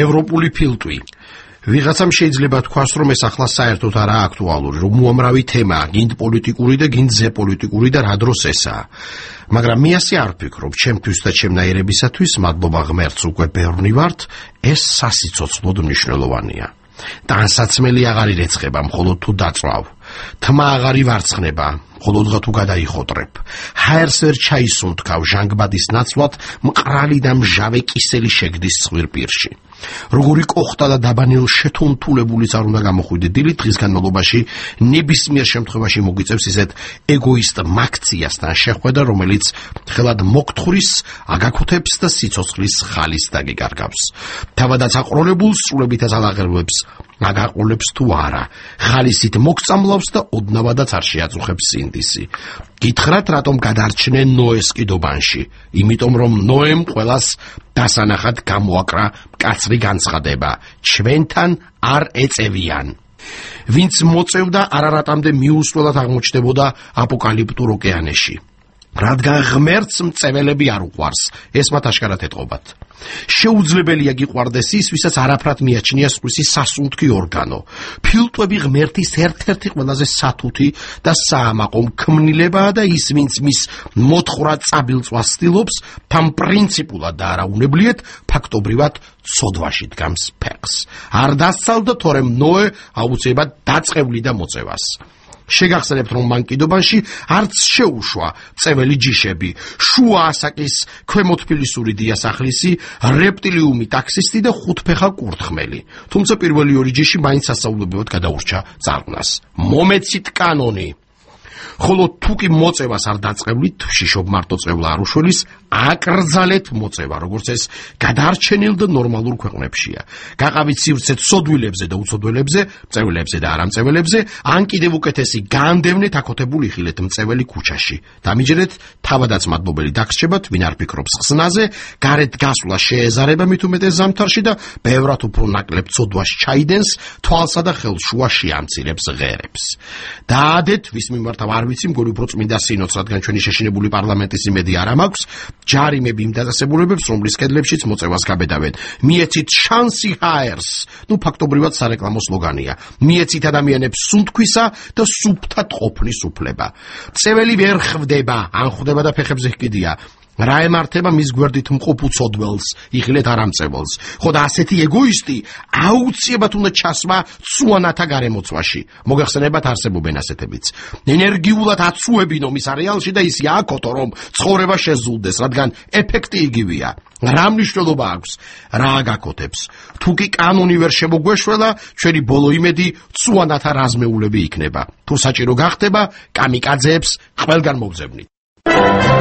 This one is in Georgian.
ევროპული ფილტვი. ვიღაცამ შეიძლება თქვას, რომ ეს ახლა საერთოდ არაა აქტუალური, რომ უამრავი თემაა, გინდ პოლიტიკური და გინდ ზეპოლიტიკური და რა დროს ესაა. მაგრამ მე ასე არ ვფიქრობ, ჩემთვის და ჩემნაირებისათვის, მადლობა ღმერთს უკვე ბევრი ვართ, ეს სასიცოცხლოდ მნიშვნელოვანია. ტანსაცმელი აღარ ირეცხება, მხოლოდ თუ დაწვავ. თმა აღარ ივარცხნება, მხოლოდ თუ გადაიხოტრებ. ჰაერს ვერ ჩაისუნთქავ ჟანგბადის ნაცვლად, მყრალი და მჟავე კისელი შეგდის ცხვირპირში. როგორი კოხტა და დაბანელ შეთუნთულებულიც არ უნდა გამოხვიდე დილით, დღის განმავლობაში ნებისმიერ შემთხვევაში მოგვიწევს ისეთ ეგოისტ მაქციასთან შეხვედრა, რომელიც ხელად მოგთხვრის, აგაკუთებს და სიცოცხლის ხალის დაგიკარგავს. თავადაც აყროლებულ სრულებითაც ალაღერვებს აგაყოლებს თუ არა, ხალისით მოგწამლავს და ოდნავადაც არ შეაწუხებს სინდისი. გითხრათ, რატომ გადარჩნენ ნოეს კიდობანში? იმიტომ, რომ ნოემ ყველას დასანახად გამოაკრა მკაცრი განცხადება, ჩვენთან არ ეწევიან. ვინც მოწევდა, არარატამდე მიუსვლელად აღმოჩნდებოდა აპოკალიპტურ ოკეანეში. რადგან ღმერთს მწეველები არ უყვარს, ეს მათ აშკარად ეტყობათ. შეუძლებელია გიყვარდეს ის, ვისაც არაფრად მიაჩნია სხვისი სასუნთქი ორგანო. ფილტვები ღმერთის ერთ-ერთი ყველაზე სათუთი და საამაყო ქმნილებაა და ის, ვინც მის მოთხრა წაბილწვას ცდილობს, თან პრინციპულად და არაუნებლიეთ, ფაქტობრივად ცოდვაში დგამს ფეხს. არ დასცალდა, თორემ ნოე აუცილებლად დაწყევლიდა მოწევას. შეგახსენებთ, რომ მან კიდობანში არც შეუშვა წეველი ჯიშები, შუა ასაკის ქვემოთფილისური დიასახლისი, რეპტილიუმი ტაქსისტი და ხუთფეხა კურთხმელი. თუმცა პირველი ორი ჯიში მაინც სასწაულებრივად გადაურჩა წარღვნას. მომეცით კანონი. ხოლო თუ კი მოწევას არ დაწყევლით, შიშობ მარტო წევლა არ უშველის, აკრძალეთ მოწევა, როგორც ეს გადარჩენილ და ნორმალურ ქვეყნებშია. გაყავით სივრცე ცოდვილებზე და უცოდველებზე, მწევლებზე და არამწეველებზე, ან კიდევ უკეთესი, განდევნეთ აკოთებულ იხილეთ მწეველი ქუჩაში. დამიჯერეთ, თავადაც მადლობელი დაგრჩებათ, ვინ არ ფიქრობს ხსნაზე, გარეთ გასვლა შეეზარება მით უმეტეს ზამთარში და ბევრად უფრო ნაკლებ ცოდვას ჩაიდენს, თვალსა და ხელს შუაში ამცირებს ღერებს. დაადეთ, ვის მიმართ არ ვიცი, მგონი უფრო წმინდა სინოდს, რადგან ჩვენი შეშინებული პარლამენტის იმედი არ მაქვს, ჯარიმები იმ დაწესებულებებს, რომლის კედლებშიც მოწევას გაბედავენ. მიეცით შანსი ჰაერს. ფაქტობრივად სარეკლამო სლოგანია. მიეცით ადამიანებს სუნთქვისა და სუფთად ყოფნის უფლება. წეველი ვერ ხვდება, ან ხვდება და ფეხებზე ჰკიდია. რა ემართება მის გვერდით მყოფ უცოდველს, იხილეთ არამწეველს. ხო და ასეთი ეგოისტი აუცილებლად უნდა ჩასვა ცუანათა გარემოცვაში. მოგახსენებათ, არსებობენ ასეთებიც. ენერგიულად აცუებინო მის არეალში და ისი აკოთო, რომ ცხოვრება შეზულდეს, რადგან ეფექტი იგივეა. რა მნიშვნელობა აქვს, რა აგაკოთებს. თუ კი კანონი ვერ შემოგვეშველა, ჩვენი ბოლო იმედი ცუანათა რაზმეულები იქნება. თუ საჭირო გახდება, კამიკაძეებს ყველგან მოგზავნით.